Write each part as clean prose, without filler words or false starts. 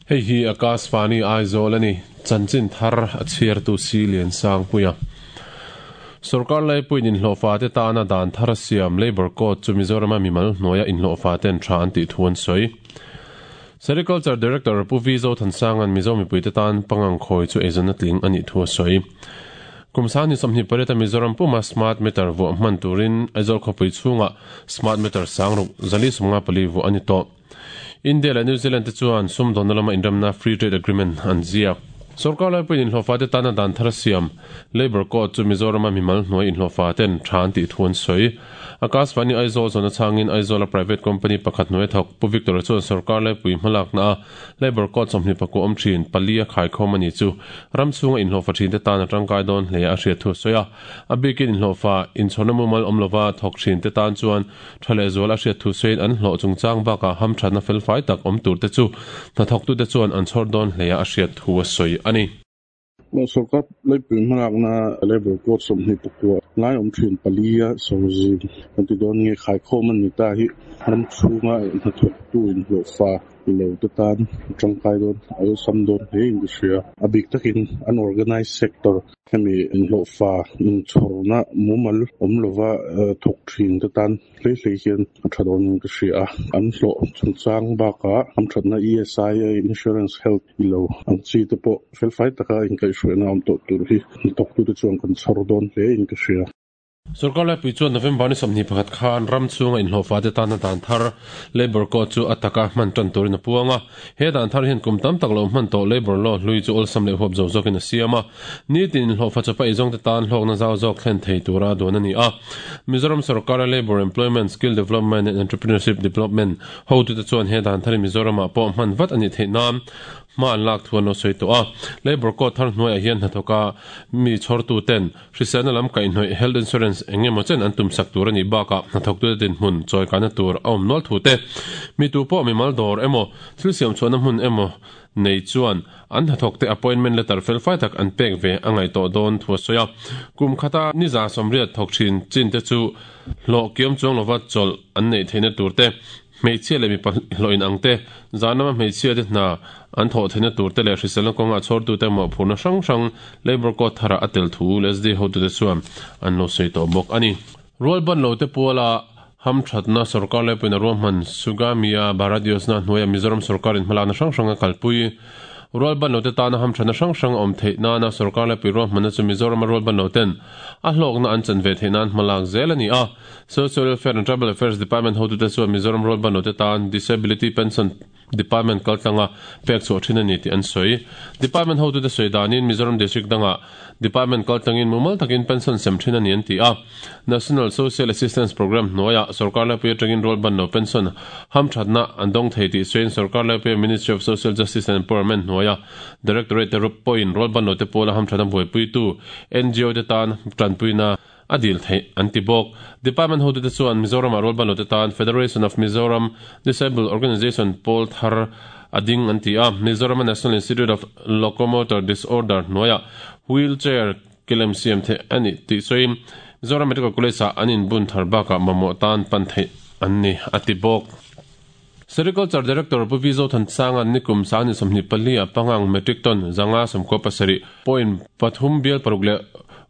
Hei hi Akashvani Aizawl a ni. Chanchin thar a chhiartu Si Liansangpuia. Sorkar laipuiin inhlawhfate tana dan thar a siam Labour Code chu Mizorama mimal hnuaia inhlawhfaten tha an tih thu an sawi. Sericulture Director Pu V Zothansanga'n Mizo mipuite tan pangang khawi chu eizawnna tling a nih thu a sawi. Kum sangni 28 a Mizoram puma smart meter vuah hman turin Aizawl khawpui chhungah smart meter sangruk 454 vuah a ni tawh. India leh New Zealand te chuan sumdawnna lama inremna Free Trade Agreement an ziak. Sorkar laipuiin inhlawhfate tana dan thar a siam, Labour Code chu Mizorama mimal hnuai inhlawhfaten tha an tih thu an sawi. Akashvani Aizawl zawhna chhangin Aizawla private company pakhat hnuai thawk Pu Victor-a chuan sorkar laipui hmalakna a Labour Code 24 awm thin pali a khaikhawm a ni chu ram chhunga inhlawhfa thinte tan a tangkai dawn hle a hriat thu a sawi a. A bikin inhlawhfa inchhawrna mumal awm lova thawk thinte tan chuan Tha leh zual a hriat thu sawiin an hlawh chungchang bakah hamthatna felfai tak awm turte chu hnathawktute chuan an chhawr dawn hleia a hriat thu a sawi a ni. Sorkar leipui hmalakna Labour Code 29 lai awm thin pali a sawrzim kan ti dawn nge khaikhawm a ni ta hi ram chhunga hnathawktu inhlawhfa lo te tan a tangkai dawn a awlsam dawn hle in ka hria. A bik takin unorganised sector Hemi inhlawhfa inchhawrna mumal awm lova thawk thin te tan hlei hlei hian a tha dawnin ka hria a. An hlawh chungchang bakah hamthatna ESI, Insurance, Health i lo ang chi te pawh felfai taka inkaihhruaina awm tawh tur hi hnathawktute chuan kan chhawr dawn hle in ka hria. Sorkar laipui chuan November ni 21 khan ram chhunga inhlawhfate tana dan thar Labour Code chu a taka hman tan turin a puang a. He dan thar hian kum tam tak lo hman tawh Labour Law hlui chu awlsam leh huap zo zawkin a siam a. Nitin inhlawhfa chawpa eizawngte tan hlawkna zau zawk thlen thei tura duan a ni a. Mizoram sorkara Labour Employment, Skill Development and Entrepreneurship Development hotute chuan he dan thar hi Mizoramah pawh hman vat a nih theih nan hma an lak thu an lo sawi tawh a. Labour Code thar hnuaiah hian hnathawka mi chhawrtuten Hriselna lam kaihhnawih, health insurance, eng emaw chen an tumsak tur a nih bakah hnathawktute dinhmun chawikana tur a awm nual thu te, mi tu pawh mimal dawr emaw, thil siam chhuahna hmun emaw nei chuan an hnathawkte appointment letter felfai tak an pek ve a ngaih tawh dawn thu a sawi a. Kum khata ni 180 thawk thin chin te chu hlawh kiam chuang lova chawlh an neih theihna tur te, Hmeichhia leh mipa hlawh in ang te, zan lama hmeichhia te hna an thawh theihna tur te leh hriselna kawnga chhawrtute mawhphurhna hrang hrang Labour Code tharah a tel thu LSD hotute chuan an lo sawi tawh bawk a ni. Rualban lo te puala hamthatna sorkar laipuiin a ruahman Sugamya Bharat Yojana hnuaia Mizoram sorkarin hmalakna hrang hrang a kalpui. Rualban lo te tana hamthatna hrang hrang a awm theih nana sorkar laipui ruahmanna chu Mizorama rualban lo ten a hlawkna an chan ve theih nan hmalak zel a ni a. Social Welfare and Tribal Affairs Department hotute chuan Mizoram rualbanlote tan Disability Pension Department kaltlanga pek chhuah thin a ni tih an sawi. Department hotute sawi danin Mizoram District dangah Department kaltlangin mumal takin pension sem thin a ni an ti a. National Social Assistance Programme hnuaiah sorkar laipui atangin rualbanlo pension hamthatna an dawng thei tih sawiin sorkar laipuia Ministry of Social Justice and Empowerment hnuaia Directorate te pawhin rualbanlote pawla hamthatna buaipuitu NGO te tan tanpuina a dil theih an ti bawk. Department hotute chuan Mizoramah rualbanlote tan Federation of Mizoram Disabled Organisation pawl thar a ding an ti a, Mizorama National Institute of Locomotor Disorder hnuaiah wheel chair kelem siam theih a ni tih sawiin Mizoram Medical College-ah an inbun thar bakah mamawh tan pan theih an ni a ti bawk. Sericulture Director Pu V Zothansanga'n nikum sangni 24 a pangang metric ton 597 point pathum bial paruk leh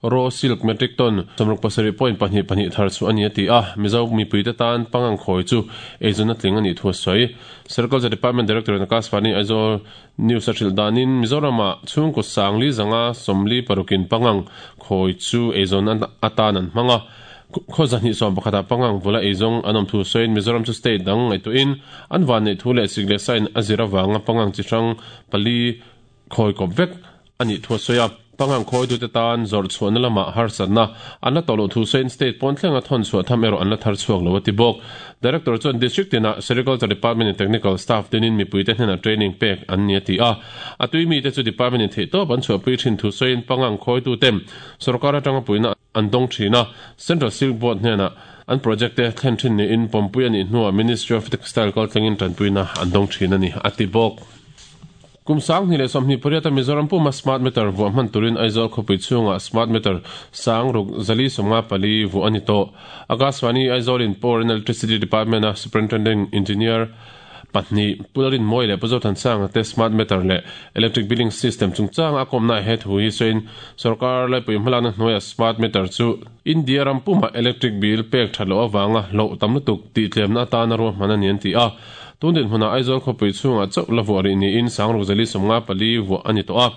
raw silk metric ton 67.22 thar chu a ni a ti a, Mizo mipuite tan pangang khawi chu eizawnna tling a nih thu a sawi. Sericulture Department Director in Akashvani Aizawl News a hrilh danin Mizoramah chhungkaw sangli zanga sawmli parukin pangang khawi chu eizawn atan an hmang a, Khaw 211 ah pangang vula eizawng an awm thu sawiin Mizoram chu state dang ngaihtuahin an vanneih thu leh sik leh sain a zir avanga pangang chi hrang pali khawi kawp vek a nih thu a sawi a. Pangang khawitute tan zawrh chhuahna lamah harsatna an la tawh loh thu sawiin state pawn thlenga thawn chhuah tham erawh an la thar chhuak lo a ti bawk. Director chuan District tinah Sericulture Department in Technical Staff tinin mipuite hnenah training pek an ni a ti a. A tui mite chu Department in theihtawp an chhuahpui thin thu sawiin pangang khawitute sawrkar atanga puihna an dawng thin a, Central Silk Board hnenah an project te thlen thin niin pawmpui a nih hnuah Ministry of Textile kaltlengin tanpuina an dawng thin a ni, a ti bawk. Kum 2028 a Mizoram puma smart meter vuah hman turin Aizawl khawpui chhungah smart meter 6454 vuah a ni tawh. Akashvani Aizawlin Power and Electricity Department-a Superintending Engineer, Pahnih, Pu Lalrinmawia leh Pu Zothansanga te Smart Meter leh Electric Billing System chungchanga a kawmna he thu hi sawiin Sorkar laipui hmalakna hnuaia Smart Meter chu India ram pumah electric bill pek that loh avanga hlauh tam lutuk tih tlemna atana ruahman a ni an ti a. Tun dinhmunah Aizawl khawpui chhungah chauh la vuah rih niin Sangruk Zali 54 vuah a ni tawh a.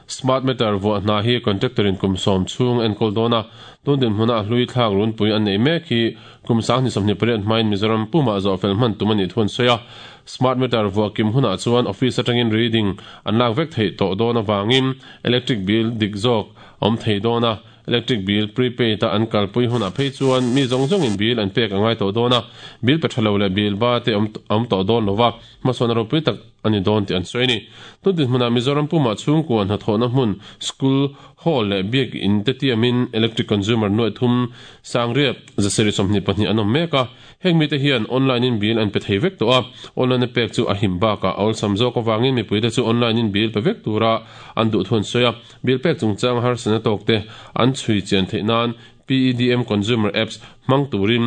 Smart Meter vuah hna hi contractor in kum sawm chhung a enkawl dawn a, tun dinhmuna a hlui thlak runpui an neih mek hi Kum 2028 hmain Mizoram pumah zawhfel hman tum a nih thu an sawi a. Smart meter vuah kim hunah chuan office atangin reading an lak vek theih tawh dawn avangin electric bill dik zawk a awm thei dawn a. Electric bill prepaid a an kalpui hunah phei chuan mi zawng zawngin bill an pek a ngai tawh dawn a, bill pe tha lo leh bill ba te awm awm tawh dawn lo va, hmasawn a ropui tak a ni dawn tih an sawi a ni. Tun dinhmunah Mizoram pumah chhungkua hnathawhna hmun school hall leh biak in te tiamin electric consumer nuaih thum Sangriat, Zasarih 22 an awm mek a, heng mite hian online in bill an pe thei vek tawh a, online a pek chu a him bakah a awlsam zawk avangin mipuite chu online in bill pe vek tura an duh thu an sawi a, bill pek chungchang harsatna tawk te an chhui chian theih nan PEDM Consumer Apps hmang turin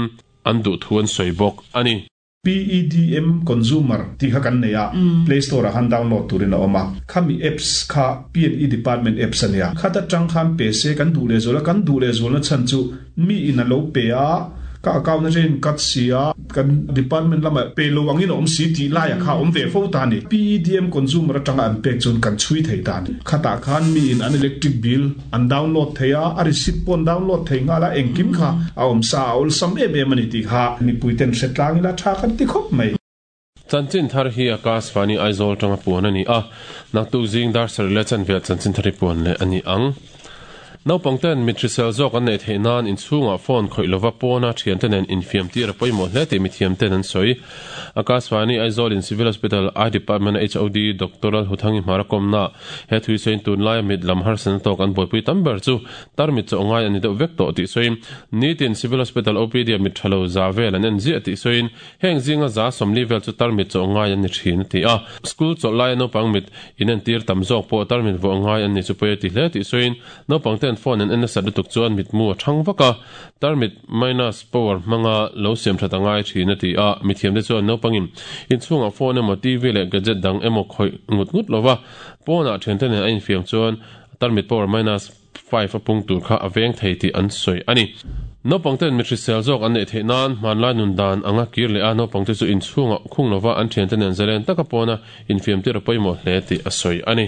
an duh thu an sawi bawk a ni. PEDM Consumer tih kha kan nei a, Play Store ah khan download turin a awm a. Khami apps kha P&E Department apps a nia. Khat atang khan pe se kan duh lehzual a, kan duh lehzualna chhan chu mi in a lo pe a, ka account atangin in cut si a, kan department lamah pe lo angin a awm si tih laiah kha a awm ve fo ta a ni. PEDM Consumer atanga an pek chuan kan chhui thei ta a ni. Khatah khan mi in an electric bill an download thei a, a receipt pawh an download thei nghal a, engkim kha a awm sa a awlsam em em a ni tih kha mipui ten hre tlang ila tha kan ti khawp mai. Chanchin thar hi Akash Vani Aizawl tanga puan a ni a, naktuk zing dar sarih leh chanve ah chanchin thar hi puan leh a ni ang. Naupang ten mit hrisel zawk an neih theih nan inchhungah phone khawih lova pawna thiante nen infiam tir a pawimawh hle tih mithiam ten an sawi. Akash Vani Aizawl in Civil Hospital Eye Department a HOD Doctor Lalhuthangi Hmara kawmna He thui sawiin tunlaia mit lam harsatna tawk an buaipui tam ber chu tarmit chaw ngai a ni deuh vek tawh tih sawiin nitin Civil Hospital OPD ah mit tha lo za vel an en ziah tih sawiin heng zinga za sawmli vel chu tarmit chaw ngai an ni thin a ti a. School chawlh laia naupang mit inentir tam zawk pawh tarmit vuah ngai an ni chu pawi a ti hle tih sawiin naupang ten phone an en nasat lutuk chuan mitmu a thang vak a, tarmit minus power hmanga lo siam that a ngai thin a ti a, mithiamte chuan naupangin inchhungah phone emaw TV leh gadget dang emaw khawih ngut ngut lova pawnah thiante nen a infiam chuan tarmit power minus 5 a pung tur kha a veng thei tih an sawi a ni. Naupangten mi hrisel zawk an neih theih nan hmanlai nun dan anga kir leh a naupangte chu inchhungah khung lova an thiante nen zalen taka pawna infiam tir a pawimawh hle tih a sawi a ni.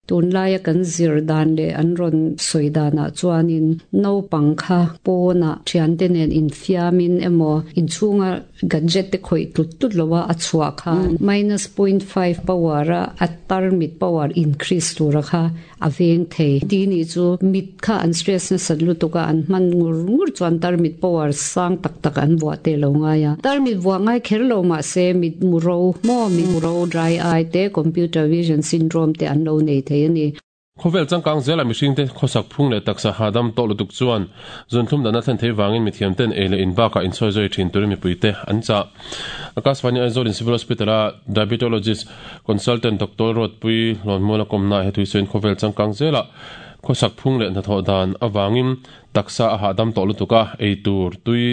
Tunlaia kan zir dan leh an rawn sawi danah chuanin naupang kha pawnah thiante nen infiamin emaw inchhunga gadget te khawih tlut tlut loa a chhuah khan minus point five power a a tarmit power increase tura kha a veng thei. Ti nih chu mit kha an stress nasat lutuk a, an hman ngur ngur chuan tarmit power sang tak tak an vuah te lo ngai a. Tarmit vuah ngai kher lo mahse mit mu ro maw mit mu ro dry eye te computer vision syndrome te an lo nei thei a ni. Khawvel changkang zela mihringte khawsak phung leh taksa hahdam tawh lutuk chuan zunthlum dahna thlen thei vangin mithiamten ei leh in bakah insawi zawi thin turin mipuite an chah. Akashvani Aizawl in Civil Hospital-a Diabetologist Consultant Doctor Ruatpui Hlawnmuala kawmna he thuisawiin khawvel changkang zelah khawsak phung leh hnathawh dan avangin taksa a hahdam tawh lutuk a, ei tur tui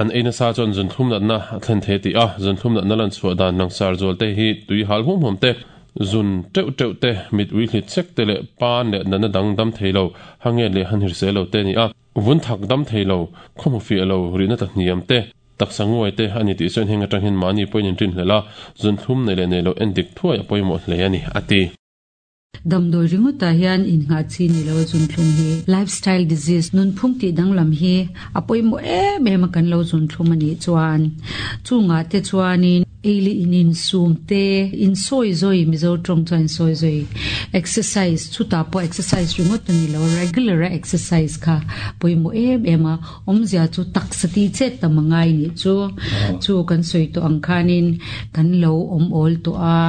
an ei nasa chuan zunthlum natna a thlen thei a ti a, zunthlum natna lanchhuah dan langsar zual te hi tui hal huam huam te, zun teuh teuh te, mit ui hlit sek te leh pan leh natna dang dam thei lo, hanget leh hanhirse lo te a ni a. Vun thak dam thei lo, khaw hmu fiah lo, rihna ta hniam te, taksa nguai te a ni tih sawiin heng atang hian mahni pawhin in rinhlelh a, zunthlum nei leh nei lo en dik thuai a pawimawh hle a ni, a ti. Damdawi ringawtah hian innghah chi ni lo a zunthlum hi lifestyle disease, nunphung tih danglam hi a pawimawh em em a kan lo zunthlum a nih chuan chungah te chuanin ei leh in insum te, insawi zawi, Mizo tawng chuan insawi zawi, exercise, chutah pawh exercise ringawt a ni lo, regular a exercise kha pawimawh em em a, awmzia chu taksa tih chet tam a ngai nih chu, chu kan sawi tawh ang khanin kan lo awm awl tawh a,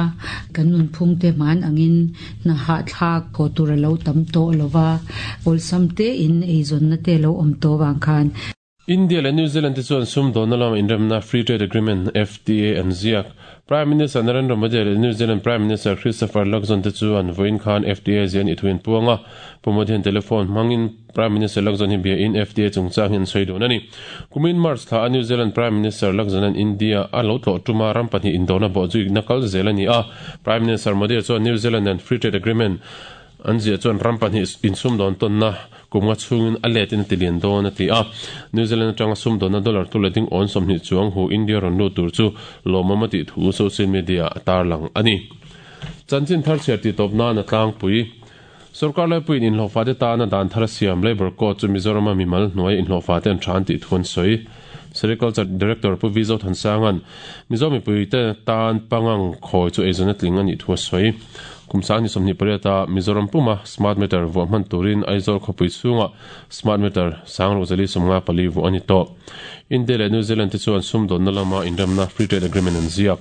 kan nunphung te hman angin hna hahthlak haw tur a lo tam tawh lo va, awlsam te in eizawnna te lo awm tawh vang khan. India leh New Zealand te chuan sumdawnna lama inremna Free Trade Agreement, FTA, an ziak. Prime Minister Narendra Modi leh New Zealand Prime Minister Christopher Luxon te chuan vawiin khan FTA ziah an ithu in puang a. Pu Modi hian telephone hmangin Prime Minister Luxon hi biain FTA chungchang hi an sawi dun a ni. Kumin March thla a New Zealand Prime Minister Luxon an India a lo tlawh tuma ram pahnih indona bawhzuikna kal zel a ni a. Prime Minister Modi chuan New Zealand nen Free Trade Agreement An ziah chuan ram pahnih insumdawn tawnna kum nga chhungin a letin a ti lian dawn a ti a. New Zealand atanga sumdawnna dollar tu leh ding awn 20 chuang hu India rawn lut tur chu lawmawm a tih thu social media ah a tarlang a ni. Chanchin thar chhiar tih tawp nan a tlangpui. Sorkar laipuiin inhlawhfate tana dan thar a siam Labour Code chu Mizorama mimal hnuai inhlawhfate an tha an tih thu an sawi. Sericulture Director Pu Vizo Thansanga'n Mizo mipuite tan pangang khawi chu eizawn a tling a nih thu a sawi. Kum sang ni 28 a Mizoram puma smart meter vuah hman turin Aizawl khawpui chhungah smart meter sang ruk zali 54 vuah a ni tawh. India leh New Zealand te chuan sumdawnna lama inremna Free Trade Agreement an ziak.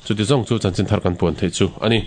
Chuti zawng chu chanchin thar kan puan theih chu a ni.